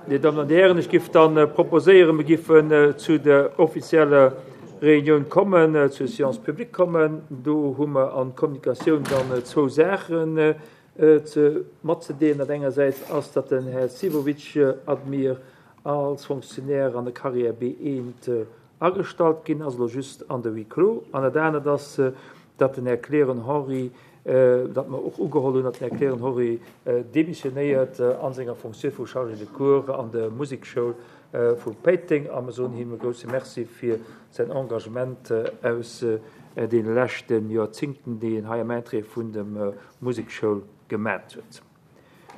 Dir Dammen an Dir Hären, ech giff dann proposéieren, mir giffen zu der offizieller Reunioun kommen, zur Séance publique kommen. Do hu mer an d'Kommunikatioun dann zwou Saachen ze matzedeelen. Dat engersäits ass, datt den Här Sivovic Admir als Fonctionnaire an der Carrière B1 agestallt ginn ass, elo just an de Huis clos. An dat anert ass, datt den Här Kleren Henri, datt mer och ugeholl hunn, datt den Här Kleren Henri demissionéiert a senger Fonctioun vu Chargé de cours an der Musekschoul vu Péiteng. A mer soen him e grousse Merci fir säin Engagement aus deene leschte Joerzingten, déi en hei am Interêt vun der Musekschoul gemat huet.